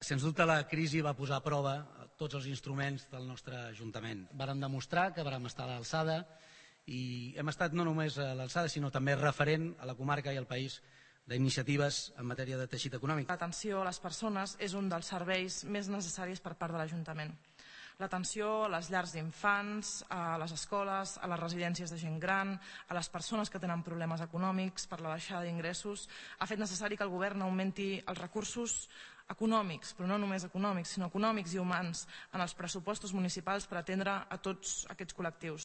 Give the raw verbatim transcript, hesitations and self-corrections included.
Sens dubte la crisi va posar a prova tots els instruments del nostre Ajuntament. Vàrem demostrar que vàrem estar a l'alçada i hem estat no només a l'alçada sinó també referent a la comarca i al país d'iniciatives en matèria de teixit econòmic. L'atenció a les persones és un dels serveis més necessaris per part de l'Ajuntament. L'atenció a les llars d'infants, a les escoles, a les residències de gent gran, a les persones que tenen problemes econòmics per la baixada d'ingressos, ha fet necessari que el govern augmenti els recursos econòmics, però no només econòmics, sinó econòmics i humans en els pressupostos municipals per atendre a tots aquests col·lectius.